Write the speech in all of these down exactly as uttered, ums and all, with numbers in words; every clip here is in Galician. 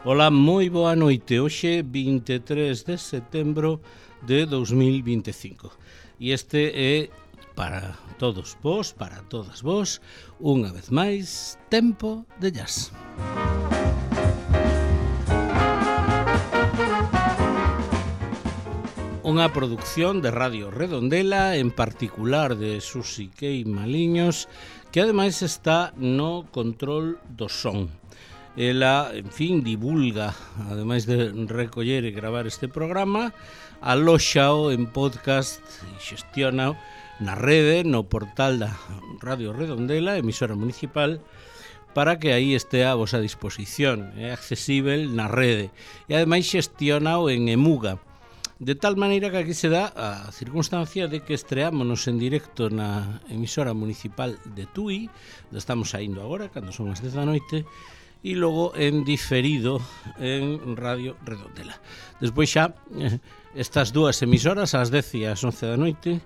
Ola, moi boa noite. Hoxe vinte e tres de setembro de dos mil vinte e cinco. E este é para todos vos, para todas vos, unha vez máis, Tempo de Jazz. Unha produción de Radio Redondela, en particular de Susi Kei Maliños, que ademais está no control do son. Ela, en fin, divulga, ademais de recoller e gravar este programa, alóxao en podcast e xestiona na rede, no portal da Radio Redondela, emisora municipal, para que aí estea a vosa disposición. É accesível na rede. E ademais xestionao en Emuga. De tal maneira que aquí se dá a circunstancia de que estreámonos en directo na emisora municipal de Tui, estamos saindo agora, cando son as dez da noite, e logo en diferido en Radio Redondela. Despois xa, estas dúas emisoras, ás dez e ás once da noite,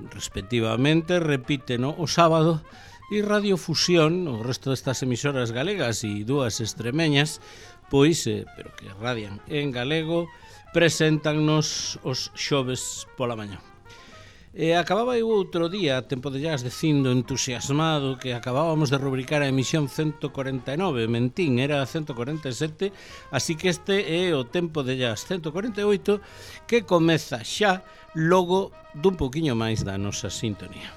respectivamente, repiten o sábado, e Radio Fusión, o resto destas emisoras galegas e dúas extremeñas, pois, eh, pero que radian en galego, preséntannos os xoves pola mañá. E acababa eu outro día, Tempo de Jazz, dicindo entusiasmado que acabábamos de rubricar a emisión ciento cuarenta e nove, mentín, era ciento cuarenta e sete, así que este é o Tempo de Jazz ciento cuarenta e oito, que comeza xa logo dun poquinho máis da nosa sintonía.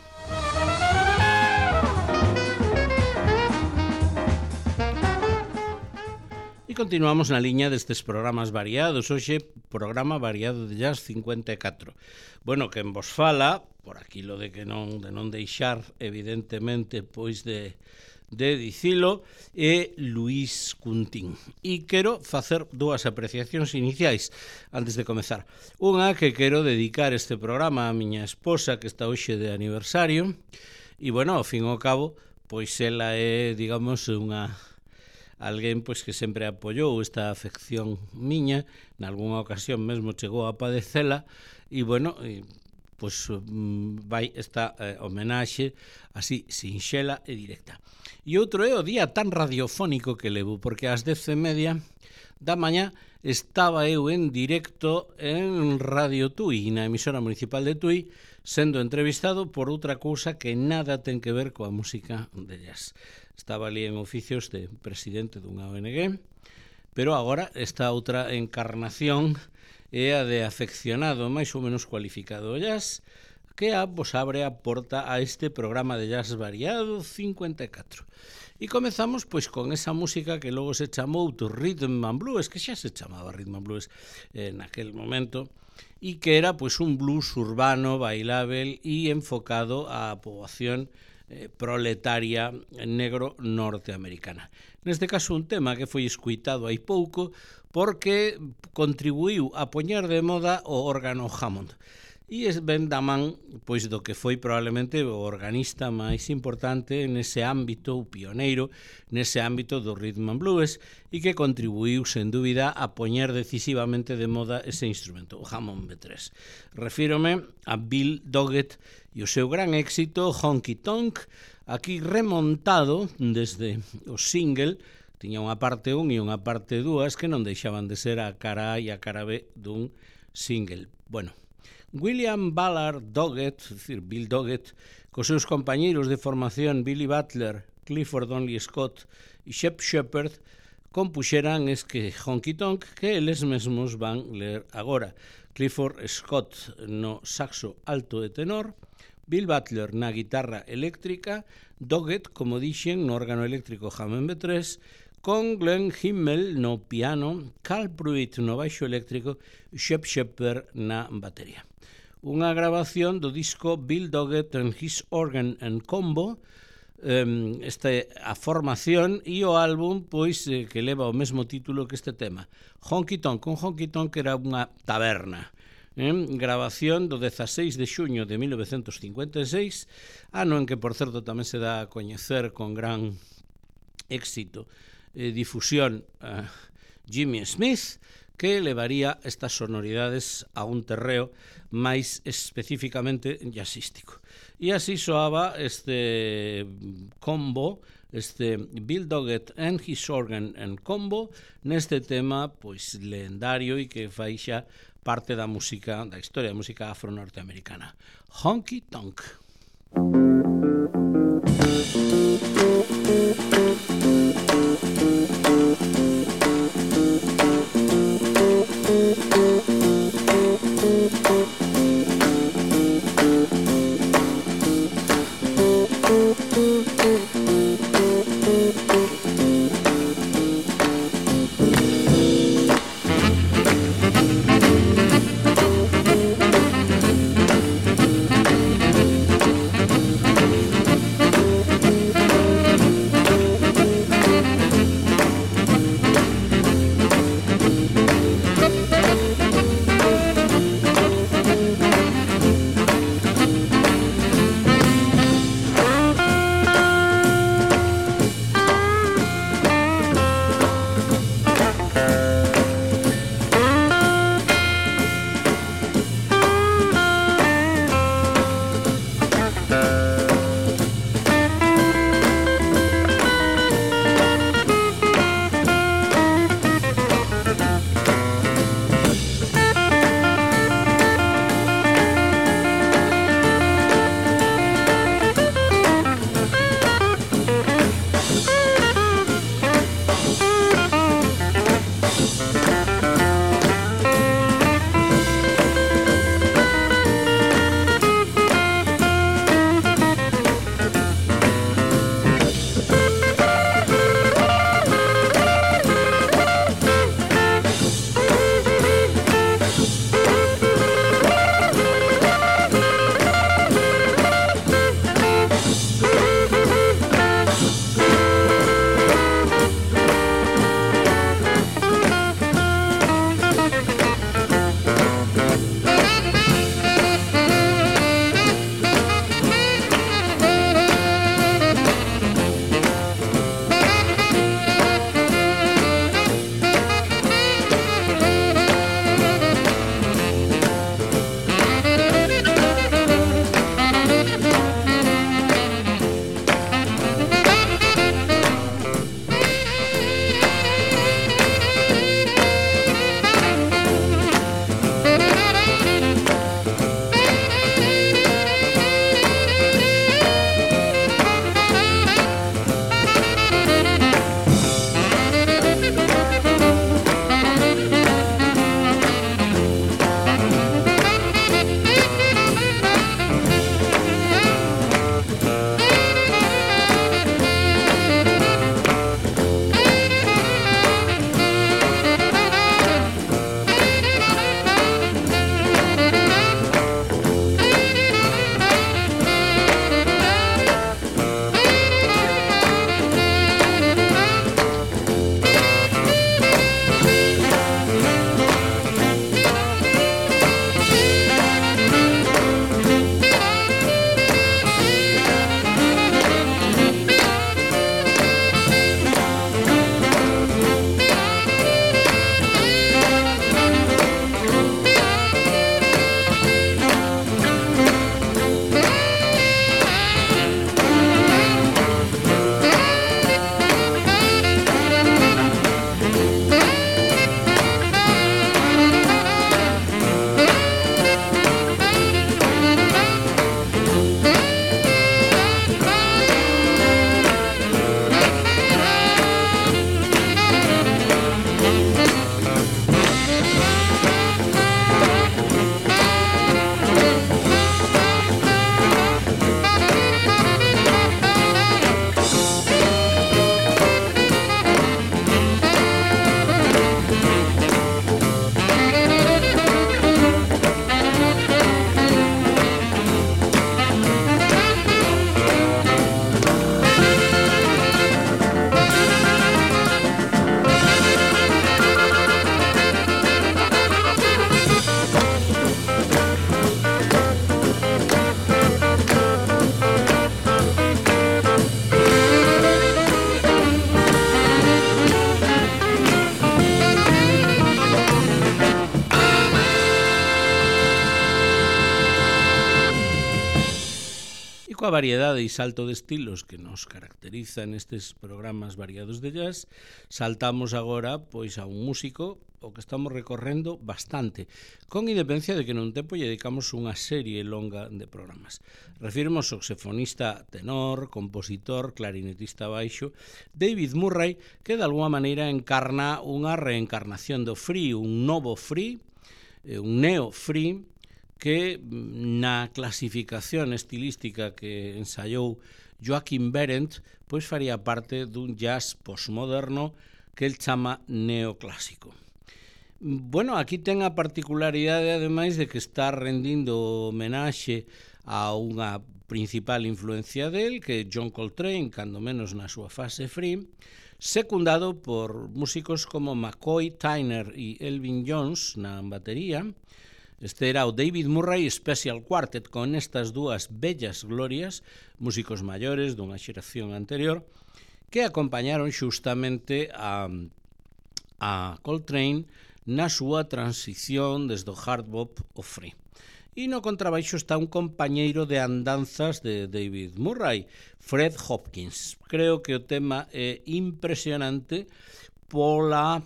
E continuamos na liña destes programas variados. Hoxe, programa variado de Jazz cincuenta e catro. Bueno, quen vos fala, por aquilo de que non de non deixar, evidentemente, pois de, de dicilo, é Luís Cuntín. E quero facer dúas apreciacións iniciais antes de comezar. Unha que quero dedicar este programa á miña esposa, que está hoxe de aniversario, e, bueno, ao fin e ao cabo, pois ela é, digamos, unha... alguén pois que sempre apoiou esta afección miña, nalgúna ocasión mesmo chegou a padecela, e bueno, e, pois vai esta eh, homenaxe así sinxela e directa. E outro é o día tan radiofónico que levo, porque ás dez e media da mañá estaba eu en directo en Radio Tui, na emisora municipal de Tui, sendo entrevistado por outra cousa que nada ten que ver coa música de jazz. Estaba ali en oficios de presidente dunha O N G, pero agora esta outra encarnación é a de afeccionado máis ou menos cualificado ao jazz, que a vos abre a porta a este programa de jazz variado cincuenta e catro. E comezamos pois con esa música que logo se chamou to Rhythm and Blues, que xa se chamaba Rhythm and Blues eh, naquel momento, e que era pois un blues urbano, bailável e enfocado á poboación eh, proletaria negro norteamericana. Neste caso un tema que foi escuitado hai pouco porque contribuiu a poñer de moda o órgano Hammond. E es ben da man pois do que foi probablemente o organista máis importante nese ámbito, o pioneiro nese ámbito do Rhythm and Blues, e que contribuiu sen dúbida a poñer decisivamente de moda ese instrumento, o Hammond B tres. Refírome a Bill Doggett e o seu gran éxito Honky Tonk, aquí remontado desde o single. Tiña unha parte un e unha parte dúas que non deixaban de ser a cara A e a cara B dun single. Bueno, William Ballard Doggett, é dicir, Bill Doggett, cos seus compañeiros de formación Billy Butler, Clifford Donnelly Scott e Shep Shepherd, compuxeran esque Honky Tonk que eles mesmos van ler agora. Clifford Scott no saxo alto e tenor, Bill Butler na guitarra eléctrica, Doggett, como dixen, no órgano eléctrico Hammond B tres, con Glenn Himmel no piano, Carl Pruitt no baixo eléctrico e Shep Shepherd na batería. Unha grabación do disco Bill Doggett and His Organ and Combo, um, este, a formación e o álbum pois eh, que leva o mesmo título que este tema, Honky Tonk. Un Honky Tonk era unha taberna. Eh? Grabación do dezaseis de xuño de mil novecentos cincuenta e seis, ano en que, por certo, tamén se dá a coñecer con gran éxito e difusión a Jimmy Smith, que levaría estas sonoridades a un terreo máis especificamente jazzístico. E así soaba este combo, este Bill Doggett and his Organ and Combo, neste tema pois lendario e que fai xa parte da música, da historia da música afro-norteamericana. Honky Tonk. coa variedade e salto de estilos que nos caracteriza nestes programas variados de jazz, saltamos agora pois a un músico o que estamos recorrendo bastante, con independencia de que nun tempo lle dedicamos unha serie longa de programas. Refirmo ao saxofonista tenor, compositor, clarinetista baixo, David Murray, que de alguma maneira encarna unha reencarnación do free, un novo free, un neo-free, que na clasificación estilística que ensaiou Joachim Behrendt pois faría parte dun jazz postmoderno que el chama neoclásico. Bueno, aquí ten a particularidade ademais de que está rendindo homenaxe a unha principal influencia del, que é John Coltrane, cando menos na súa fase free, secundado por músicos como McCoy Tyner e Elvin Jones na batería. Este era o David Murray Special Quartet, con estas dúas bellas glorias, músicos maiores dunha xeración anterior, que acompañaron xustamente a, a Coltrane na súa transición desde o hard bop ao free. E no contrabaixo está un compañeiro de andanzas de David Murray, Fred Hopkins. Creo que o tema é impresionante pola,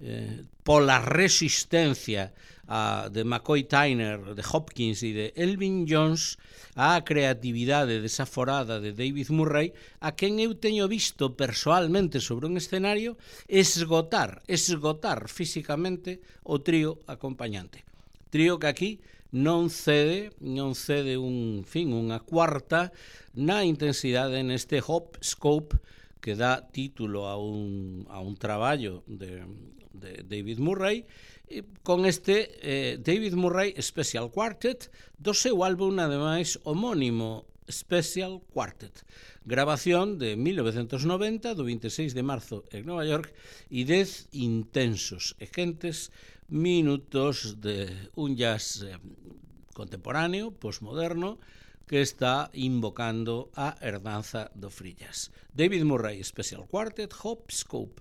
eh, pola resistencia a, de McCoy Tyner, de Hopkins e de Elvin Jones á creatividade desaforada de David Murray, a quen eu teño visto persoalmente sobre un escenario esgotar, esgotar físicamente o trío acompañante. Trío que aquí non cede, non cede un fin, unha cuarta na intensidade neste hop scope que dá título a un, a un traballo de, de David Murray, con este eh, David Murray Special Quartet do seu álbum ademais homónimo Special Quartet, grabación de mil novecentos noventa, do vinte e seis de marzo en Nova York, e dez intensos e quentes minutos de un jazz eh, contemporáneo, postmoderno, que está invocando a herdanza do free jazz. David Murray Special Quartet, Hop Scope.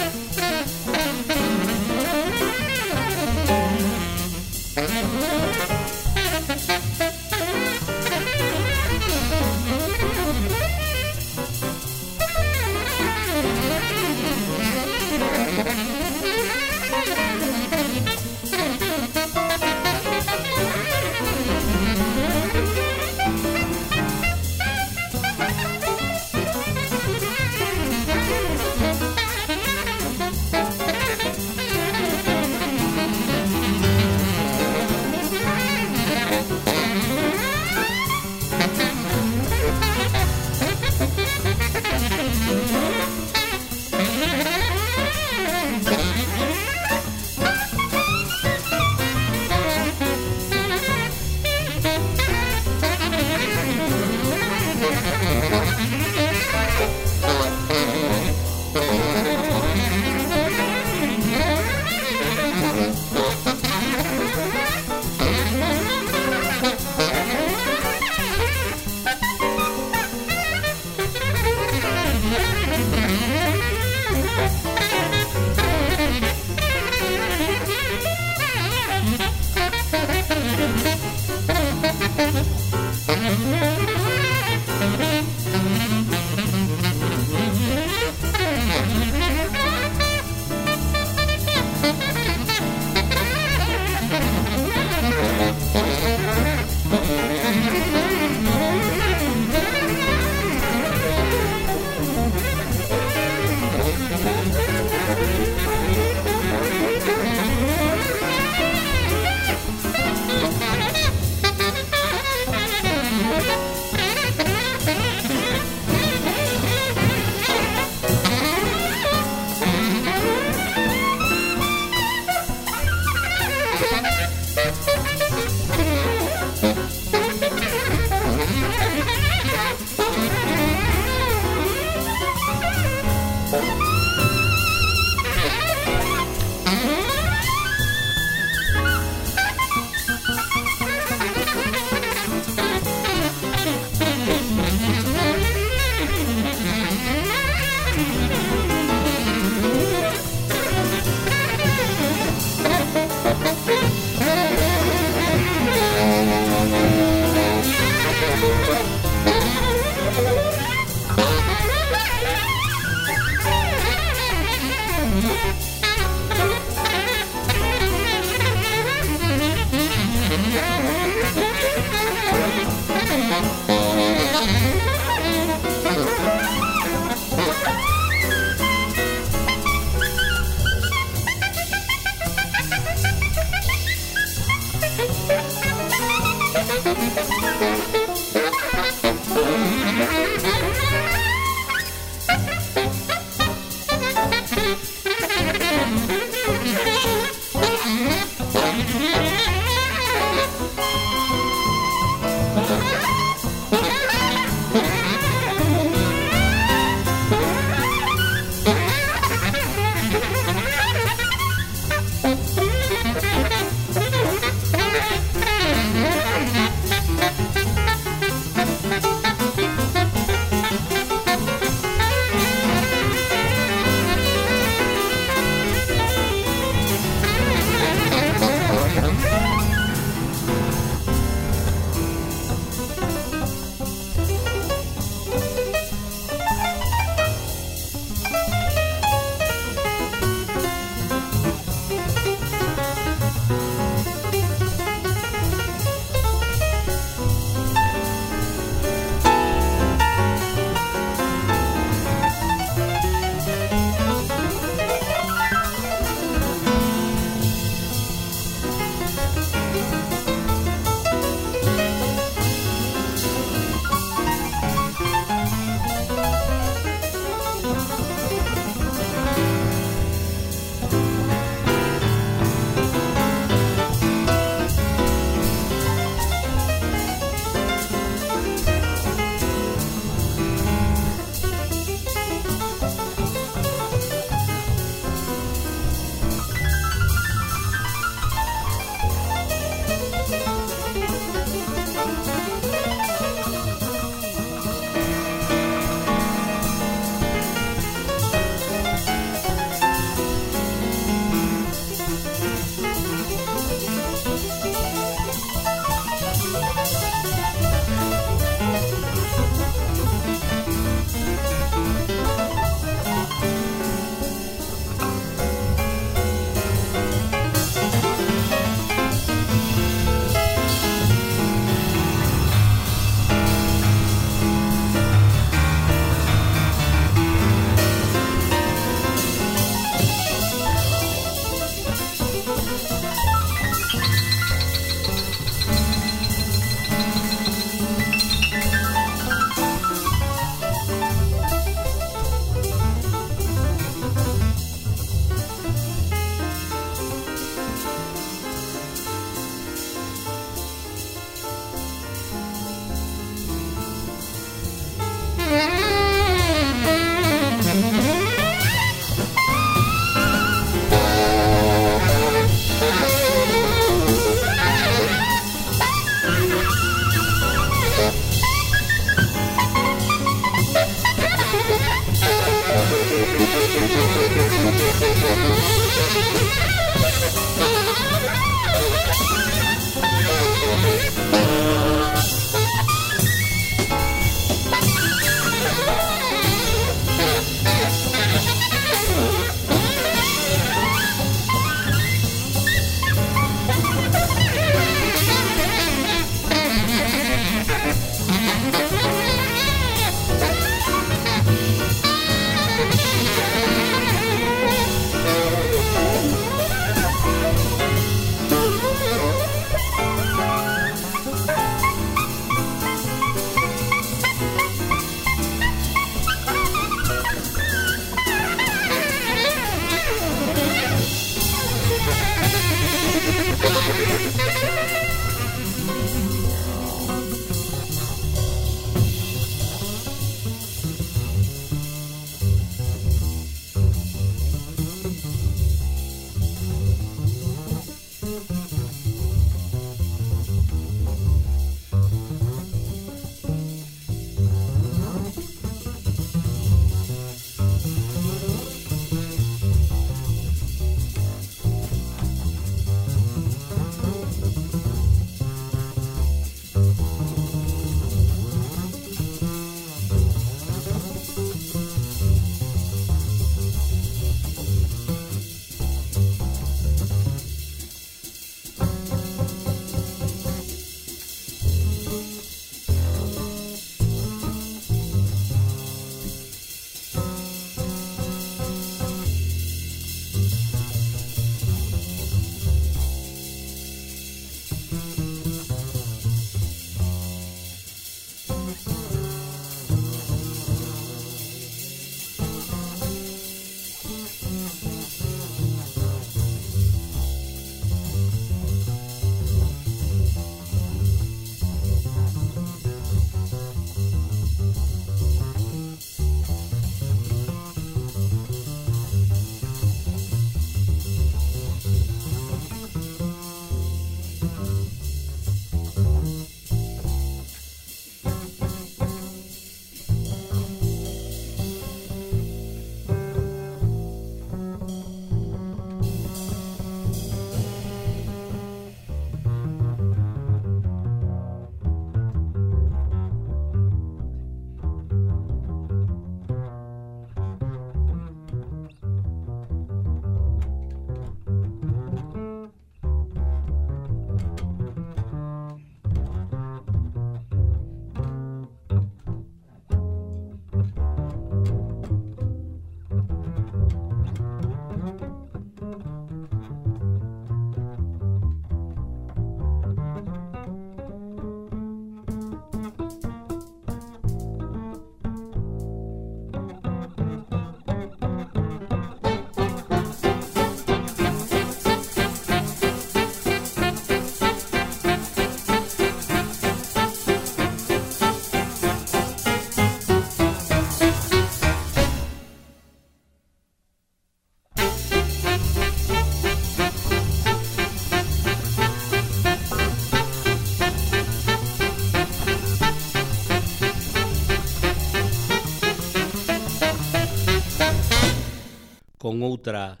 con outra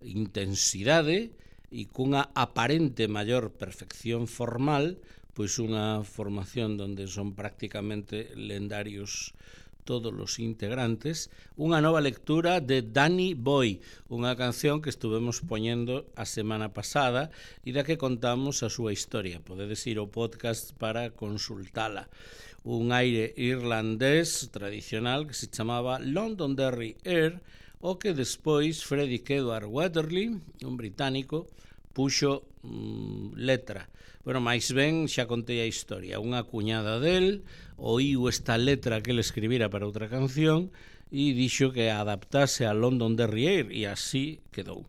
intensidade e cunha aparente maior perfección formal, pois unha formación onde son prácticamente lendarios todos os integrantes, unha nova lectura de Danny Boy, unha canción que estuvemos poñendo a semana pasada e da que contamos a súa historia. Podedes ir ao podcast para consultala. Un aire irlandés tradicional que se chamaba Londonderry Air, o que despois Frederick Edward Wetherly, un británico, puxo mm, letra. Bueno, máis ben xa contei a historia. Unha cuñada del oíu esta letra que ele escribira para outra canción e dixo que adaptase a Londonderry Air e así quedou.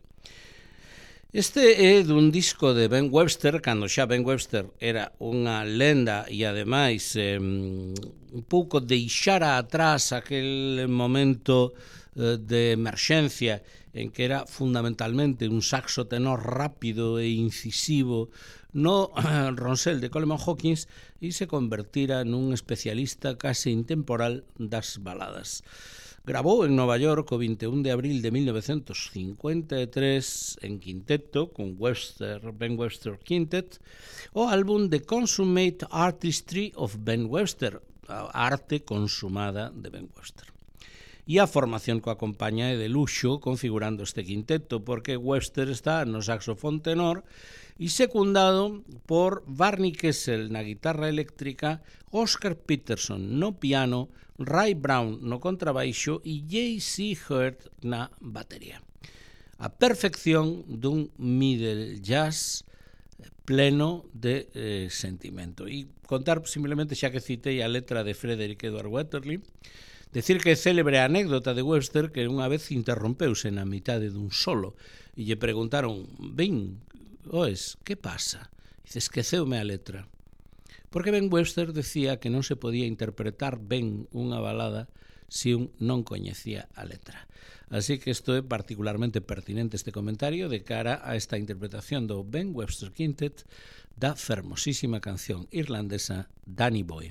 Este é dun disco de Ben Webster, cando xa Ben Webster era unha lenda e ademais eh, un pouco deixara atrás aquel momento eh, de emerxencia en que era fundamentalmente un saxo tenor rápido e incisivo no ronsel de Coleman Hawkins e se convertira nun especialista case intemporal das baladas. Grabou en Nova York o vinte e un de abril de mil novecentos cincuenta e tres en quinteto con Webster, Ben Webster Quintet o álbum The Consummate Artistry of Ben Webster, a arte consumada de Ben Webster. E a formación que o acompaña é de luxo configurando este quinteto, porque Webster está no saxofón tenor e secundado por Barney Kessel na guitarra eléctrica, Oscar Peterson no piano, Ray Brown no contrabaixo e J C Hurt na batería. A perfección dun middle jazz pleno de eh, sentimento. E contar simplemente, xa que citei a letra de Frederick Edward Wetherly, decir que é célebre a anécdota de Webster que unha vez interrompeuse na mitade dun solo e lle preguntaron, ben, oes, que pasa? Dice, esqueceume a letra. Porque Ben Webster decía que non se podía interpretar ben unha balada se un non coñecía a letra. Así que isto é particularmente pertinente este comentario de cara a esta interpretación do Ben Webster Quintet da fermosísima canción irlandesa Danny Boy.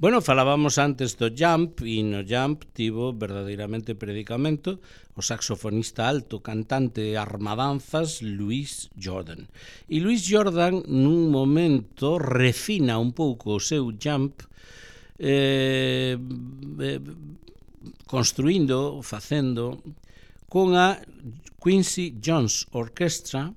Bueno, falábamos antes do Jump, e no Jump tivo verdadeiramente predicamento o saxofonista alto, cantante armadanzas Louis Jordan. E Louis Jordan, nun momento, refina un pouco o seu Jump, eh, eh, construindo, facendo, con a Quincy Jones Orchestra,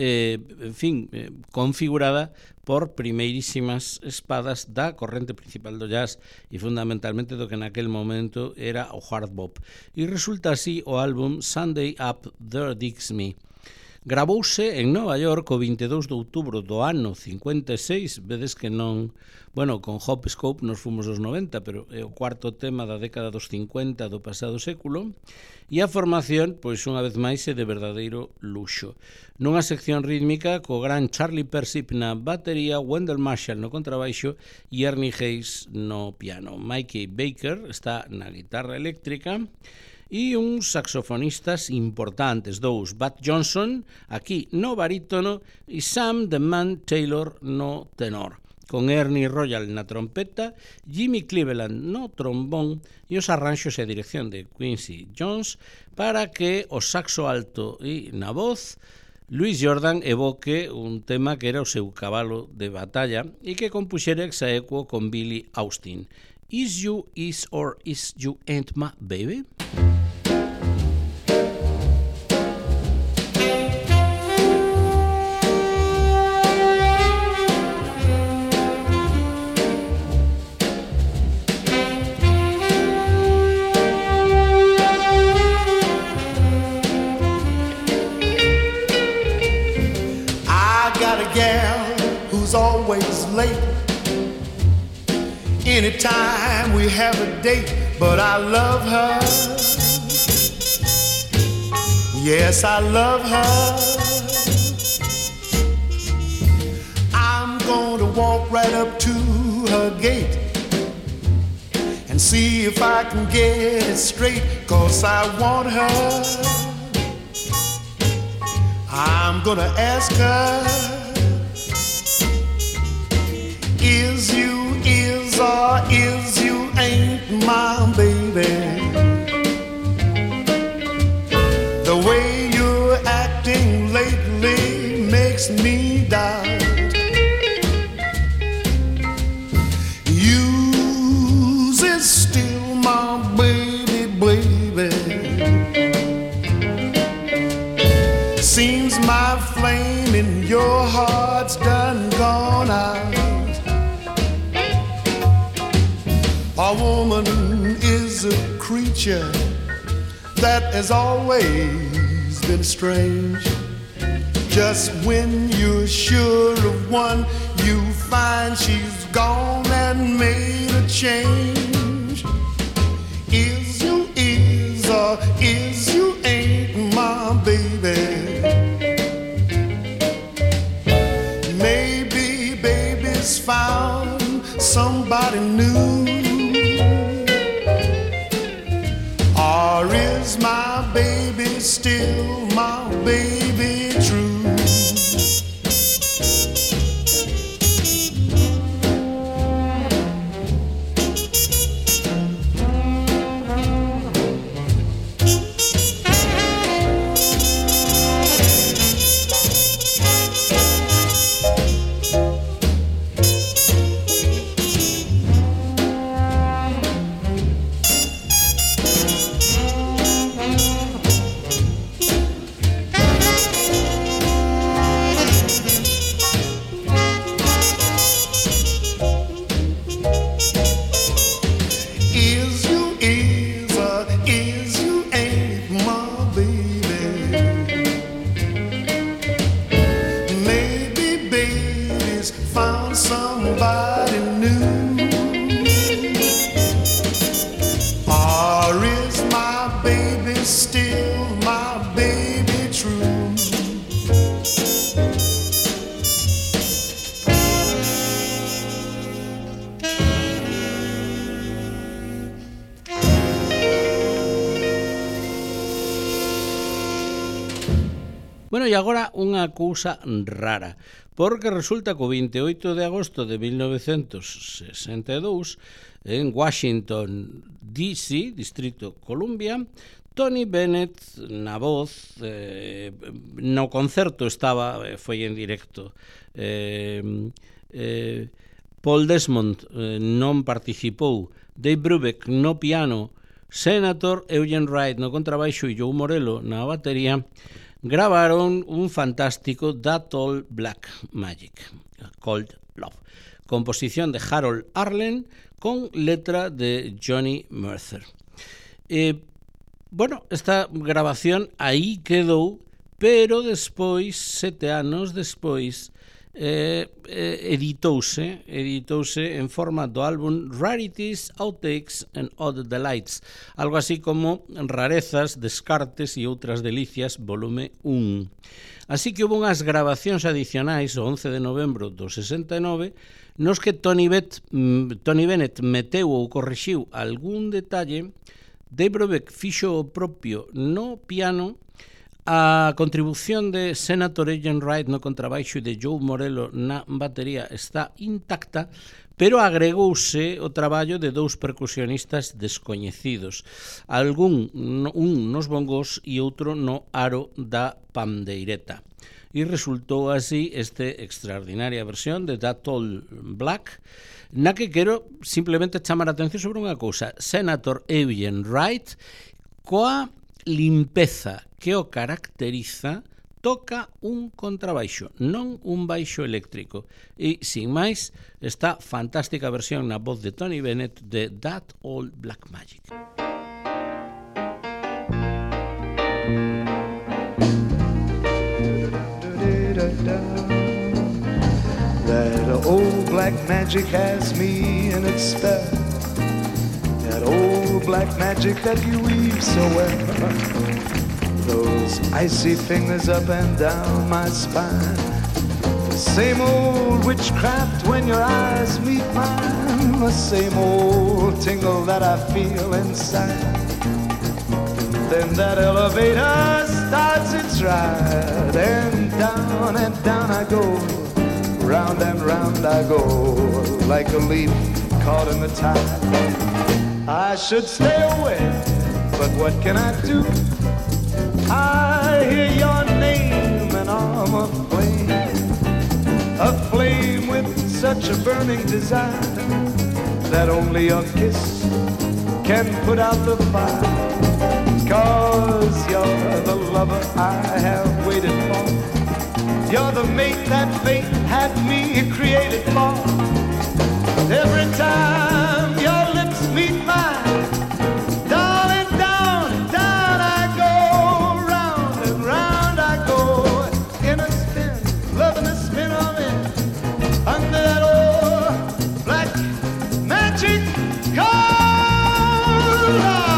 eh, en fin, eh, configurada por primeirísimas espadas da corrente principal do jazz e fundamentalmente do que naquel momento era o hard bop. E resulta así o álbum Sunday Up There Digs Me. Gravouse en Nova York o vinte e dous de outubro do ano cincuenta e seis, vedes que non, bueno, con Hop Scope nos fomos aos noventa, pero é o cuarto tema da década dos cincuenta do pasado século, e a formación, pois unha vez máis, é de verdadeiro luxo. Nunha sección rítmica co gran Charlie Persip na batería, Wendell Marshall no contrabaixo e Ernie Hayes no piano. Mikey Baker está na guitarra eléctrica e uns saxofonistas importantes, dous, Bud Johnson, aquí no barítono, e Sam the Man Taylor no tenor, con Ernie Royal na trompeta, Jimmy Cleveland no trombón e os arranxos e a dirección de Quincy Jones para que o saxo alto e na voz Louis Jordan evoque un tema que era o seu cabalo de batalla e que compuxera ex aequo con Billy Austin. Is you is or is you ain't my baby? Always late anytime we have a date, but I love her. Yes, I love her. I'm going to walk right up to her gate and see if I can get it straight, 'cause I want her. I'm gonna ask her, is you is or is you ain't my baby? The way you're acting lately makes me doubt. You's is still my baby, baby. Seems my flame in your heart's done gone out. A woman is a creature that has always been strange. Just when you're sure of one, you find she's gone and made a change. Is you is or is you ain't my baby? Maybe baby's found somebody new. Or is my baby still my baby true? Bueno, e agora unha cousa rara, porque resulta que o vinte e oito de agosto de mil novecentos sesenta e dous, en Washington, D C, Distrito Columbia, Tony Bennett na voz, eh, no concerto estaba, foi en directo, eh, eh, Paul Desmond eh, non participou, Dave Brubeck no piano, Senator Eugene Wright no contrabaixo e Joe Morello na batería, gravaron un fantástico That Old Black Magic, Cold Love, composición de Harold Arlen con letra de Johnny Mercer. Eh, bueno, esta grabación aí quedou, pero despois, sete anos despois, eh, eh, editouse, editouse en forma do álbum Rarities, Outtakes and Odd Delights, algo así como Rarezas, Descartes e outras delicias, volume un. Así que houve unhas grabacións adicionais o once de novembro do sesenta e nove nos que Tony, Bet, Tony Bennett meteu ou corrixiu algún detalle. Dave Brubeck fixo o propio no piano. A contribución de Senator Eugene Wright no contrabaixo e de Joe Morello na batería está intacta, pero agregouse o traballo de dous percusionistas descoñecidos, algún un nos bongos e outro no aro da pandeireta. E resultou así este extraordinaria versión de That Old Black, na que quero simplemente chamar a atención sobre unha cousa. Senator Eugene Wright, coa limpeza que o caracteriza, toca un contrabaixo, non un baixo eléctrico. E, sin máis, esta fantástica versión na voz de Tony Bennett de That Old Black Magic. That old black magic has me in its spell. That old black magic that you weave so well. Those icy fingers up and down my spine. The same old witchcraft when your eyes meet mine. The same old tingle that I feel inside. Then that elevator starts its ride, and down and down I go. Round and round I go, like a leaf caught in the tide. I should stay away, but what can I do? I hear your name and I'm aflame, aflame with such a burning desire that only a kiss can put out the fire. 'Cause you're the lover I have waited for. You're the mate that fate had me created for. Every time your lips meet mine, darling, down, down I go. Round and round I go, in a spin, loving the spin of it, under that old black magic cold love.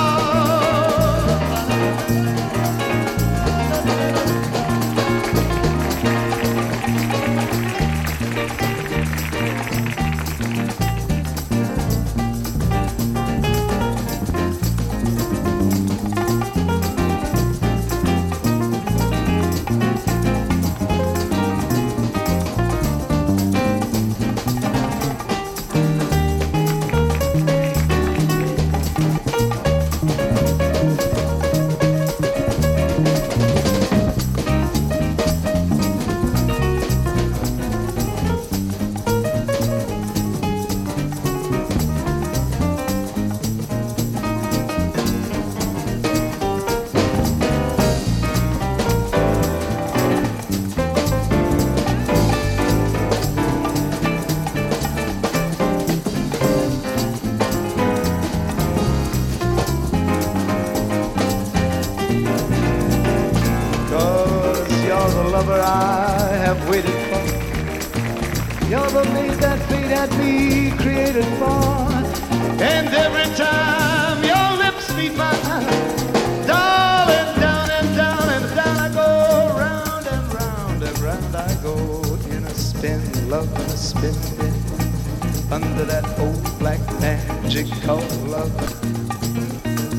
Under that old black magic called love.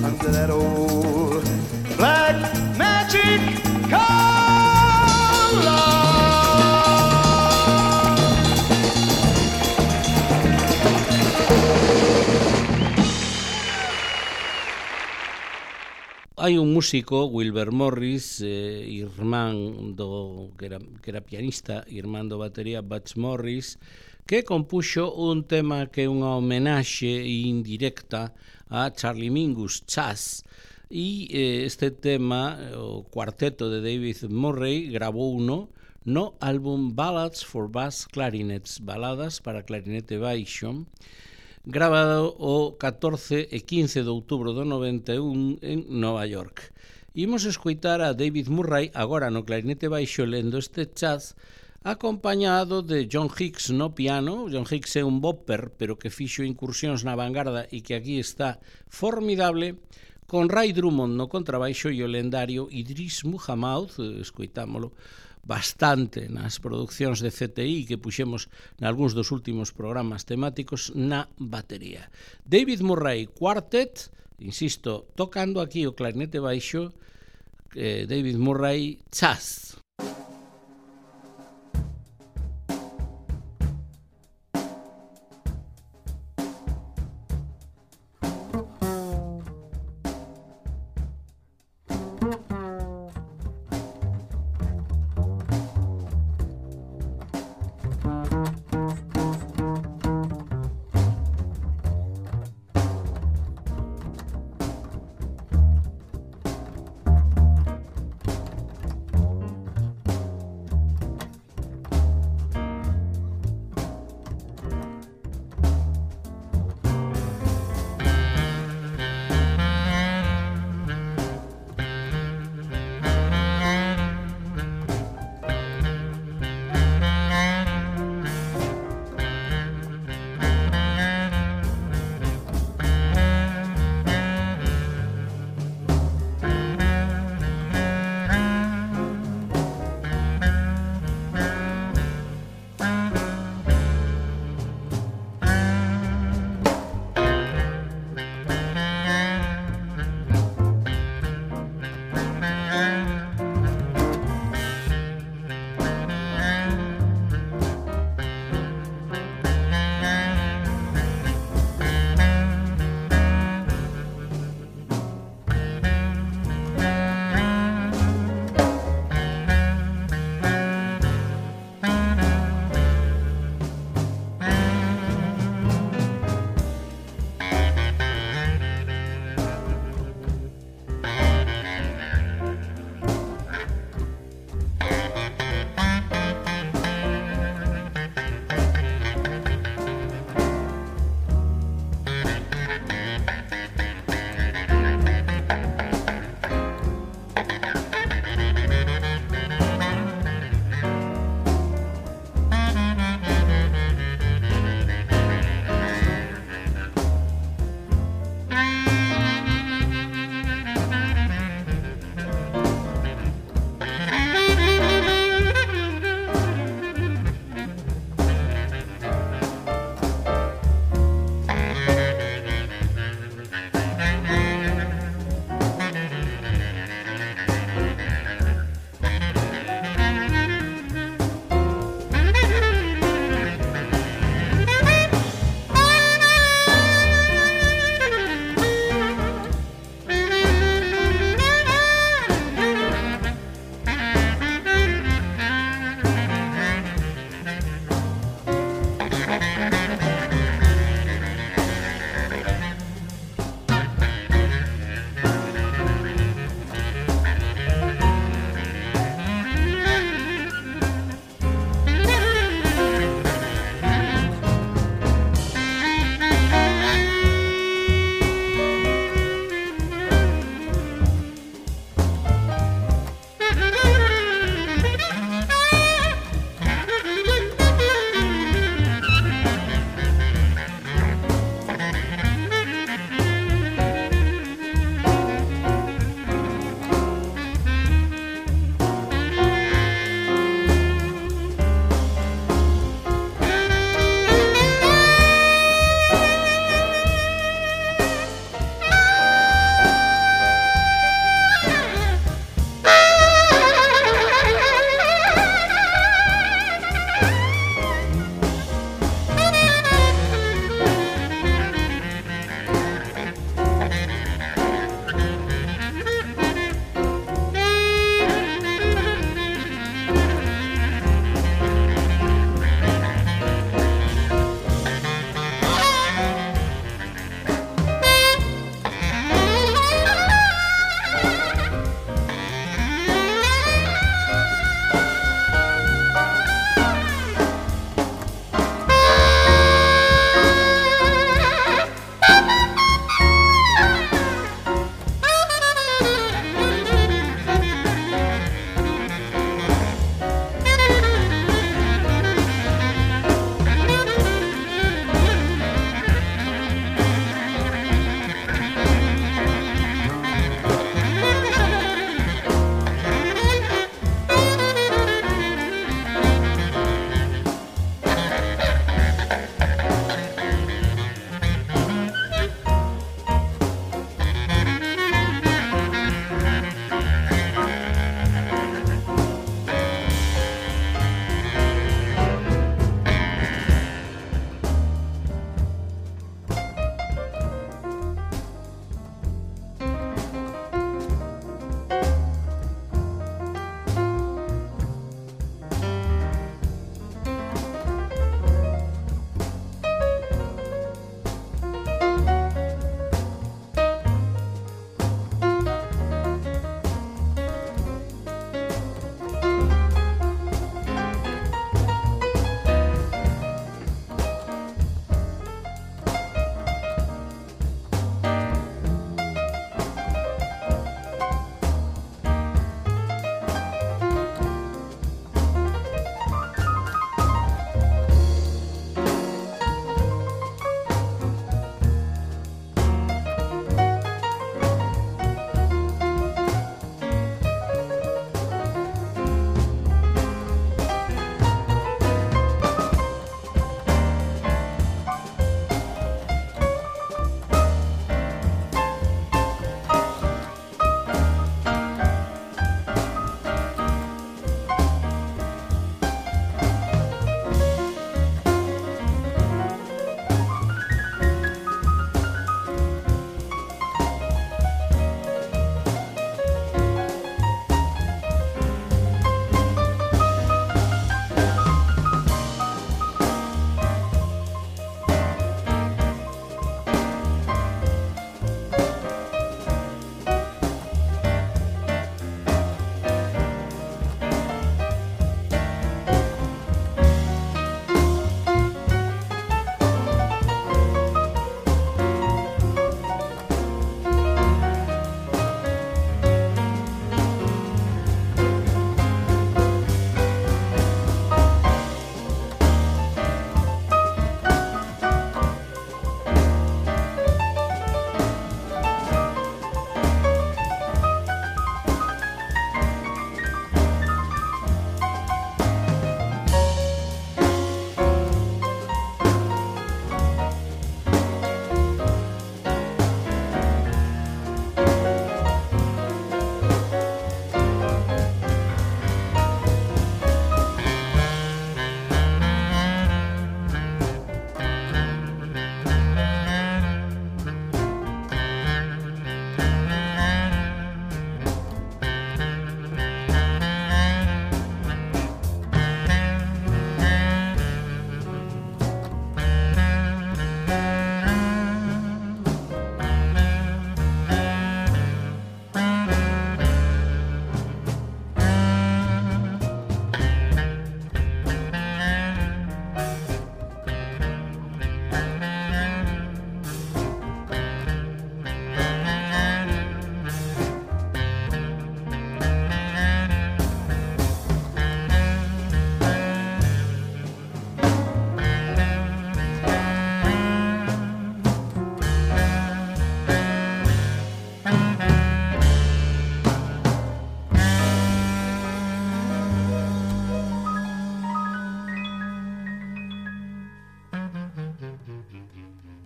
Under that old black magic called hai un músico, Wilbur Morris, eh, irmán do que era, que era pianista, irmán do batería Butch Morris, que compuxo un tema que é unha homenaxe indirecta a Charlie Mingus, Chas, e eh, este tema, o cuarteto de David Murray, grabou uno no álbum Ballads for Bass Clarinets, baladas para clarinete baixo, grabado o catorce e quince de outubro do noventa e un en Nova York. Imos escoitar a David Murray agora no clarinete baixo lendo este jazz, acompañado de John Hicks no piano. John Hicks é un bopper, pero que fixo incursións na vanguarda e que aquí está formidable, con Ray Drummond no contrabaixo e o lendario Idris Muhammad, escoitámolo bastante nas producións de C T I que puxemos nalgúns dos últimos programas temáticos, na batería. David Murray Quartet, insisto, tocando aquí o clarinete baixo, eh, David Murray Jazz.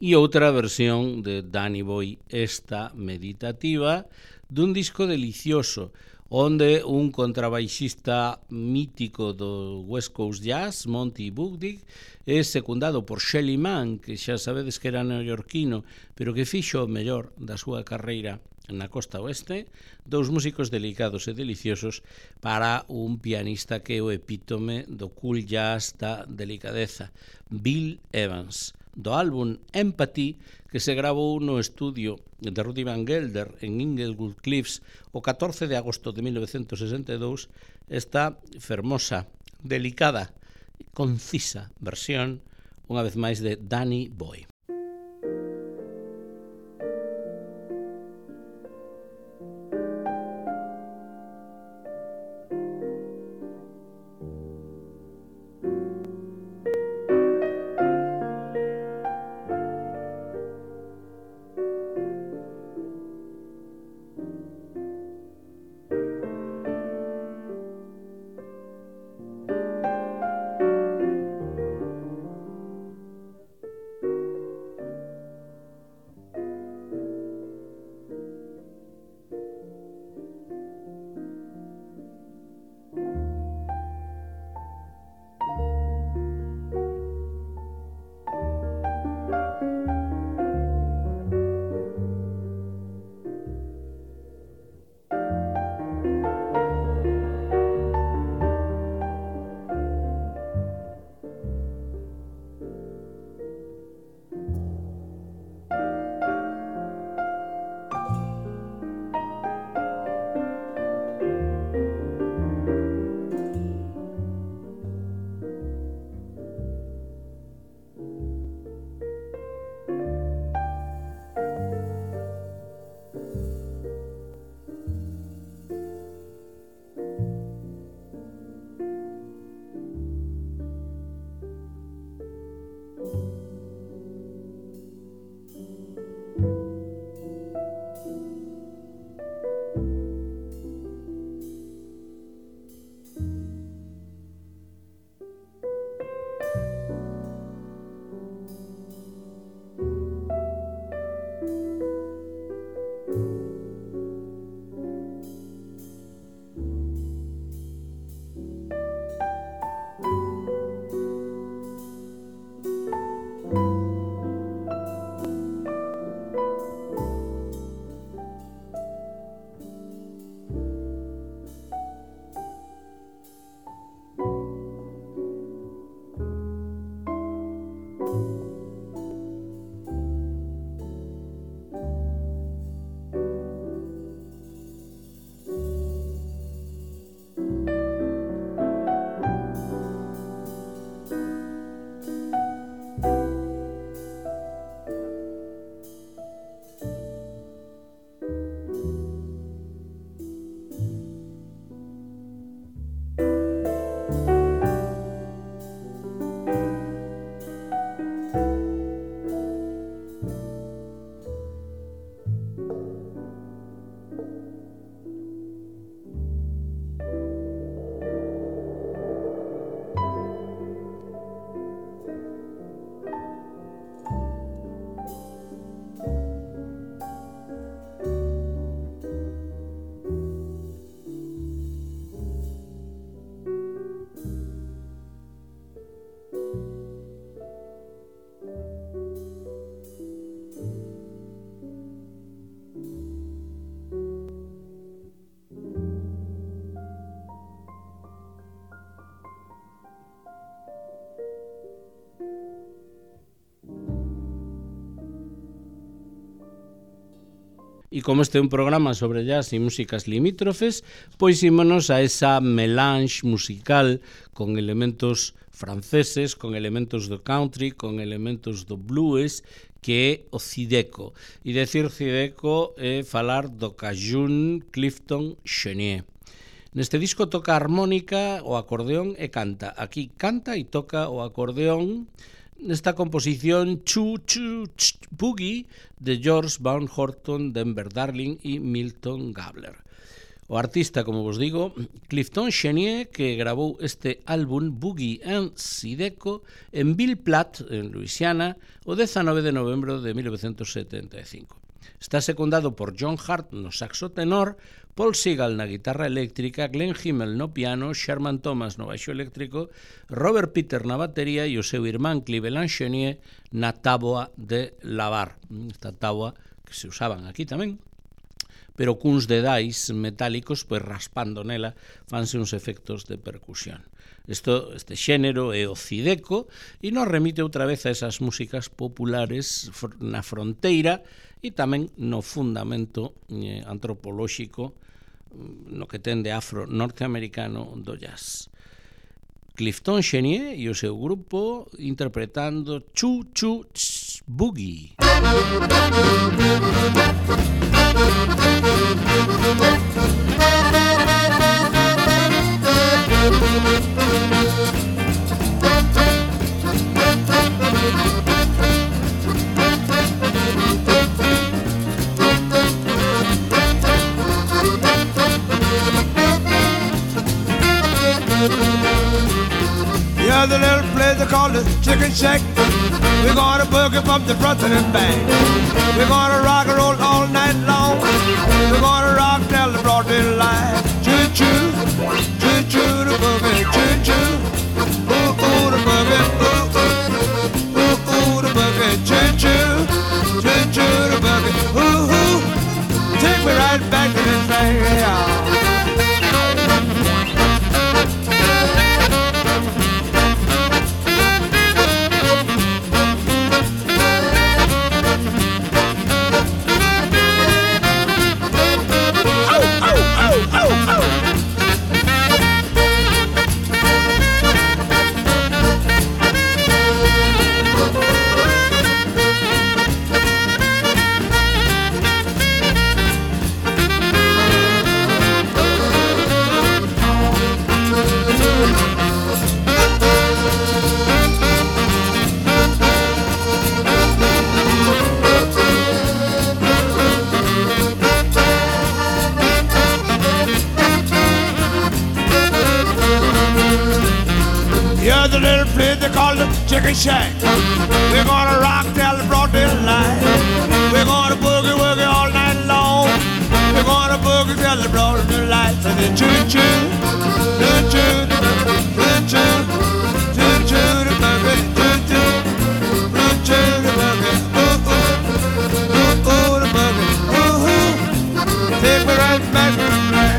e outra versión de Danny Boy, esta meditativa, dun disco delicioso, onde un contrabaixista mítico do West Coast Jazz, Monty Buddig, é secundado por Shelly Manne, que xa sabedes que era neoyorquino, pero que fixo o mellor da súa carreira na costa oeste, dous músicos delicados e deliciosos para un pianista que é o epítome do cool jazz da delicadeza, Bill Evans, do álbum Empathy, que se gravou no estudio de Rudy Van Gelder en Inglewood Cliffs o catorce de agosto de mil novecentos sesenta e dous, esta fermosa, delicada e concisa versión, unha vez máis, de Danny Boy. E como este é un programa sobre jazz e músicas limítrofes, pois ímonos a esa melange musical con elementos franceses, con elementos do country, con elementos do blues, que é o Zydeco. E decir Zydeco é falar do cajún Clifton Chenier. Neste disco toca a armónica, o acordeón e canta. Aquí canta e toca o acordeón nesta composición Choo Choo Ch Boogie de George Van Horton, Denver Darling e Milton Gabler. O artista, como vos digo, Clifton Chenier, que grabou este álbum Boogie and Zydeco en Bill Platt, en Luisiana, o dezanove de novembro de mil novecentos setenta e cinco. Está secundado por John Hart no saxo tenor, Paul Segal na guitarra eléctrica, Glenn Himmel no piano, Sherman Thomas no baixo eléctrico, Robert Peter na batería e o seu irmán Cleveland Chenier na táboa de lavar. Esta táboa que se usaban aquí tamén, pero cuns dedais metálicos, pois raspando nela, fanse uns efectos de percusión. Isto, este xénero é o Zydeco e nos remite outra vez a esas músicas populares na fronteira e tamén no fundamento eh, antropolóxico no que ten de afro norteamericano do jazz. Clifton Chenier e o seu grupo interpretando Choo Choo Boogie. Yeah, the little place they call the Chicken Shack. We're gonna boogie from the front to the back. We're gonna rock and roll all night long. We're gonna rock till the broad daylight. Choo choo, choo choo the boogie, choo choo. Ooh ooh the boogie, ooh ooh, ooh ooh the boogie, choo choo, choo choo the boogie, ooh ooh. Take me right back to the thing, yeah. Chicken Shack. We're gonna rock till the broad daylight. We're gonna boogie woogie all night long. We're gonna boogie till the broad daylight. So the choo choo, choo choo, choo choo, choo choo, the boogie, choo choo, choo choo, the boogie, ooh ooh, ooh ooh, the boogie, ooh ooh. Take me right back to the place.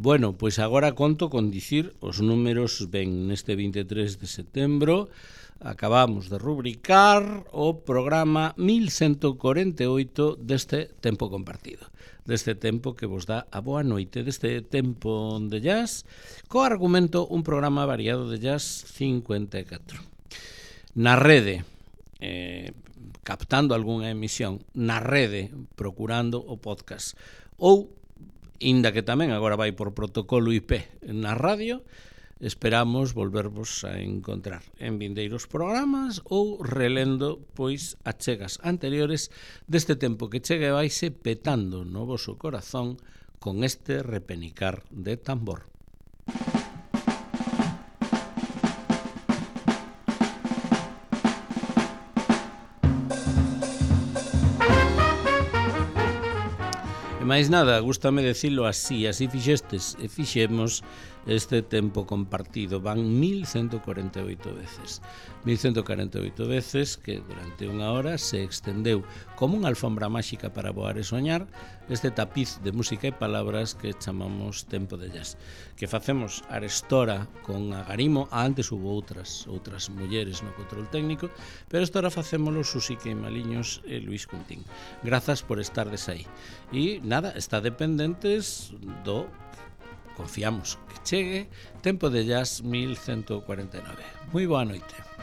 Bueno, pois agora conto con dicir os números ben neste vinte e tres de setembro. Acabamos de rubricar o programa mil ciento cuarenta e oito deste tempo compartido, deste tempo que vos dá a boa noite, deste tempo de jazz, co argumento un programa variado de jazz cincuenta e catro. Na rede, eh, captando algunha emisión, na rede, procurando o podcast, ou inda que tamén agora vai por protocolo I P na radio, esperamos volvervos a encontrar en vindeiros programas ou relendo pois achegas anteriores deste tempo que chega e vaise petando no voso corazón con este repenicar de tambor. máis nada, gústame decirlo así, así fixestes e fixemos este tempo compartido. Van mil ciento cuarenta e oito veces. mil ciento cuarenta e oito veces que durante unha hora se extendeu como unha alfombra máxica para voar e soñar este tapiz de música e palabras que chamamos Tempo de Jazz, que facemos arestora con Agarimo. Antes hubo outras outras mulleres no control técnico, pero estora facémolo Susi Queimaliños e Luis Cuntín. Grazas por estardes aí. E nada, está dependentes do, confiamos que chegue, Tempo de Jazz mil ciento cuarenta e nove. Moi boa noite.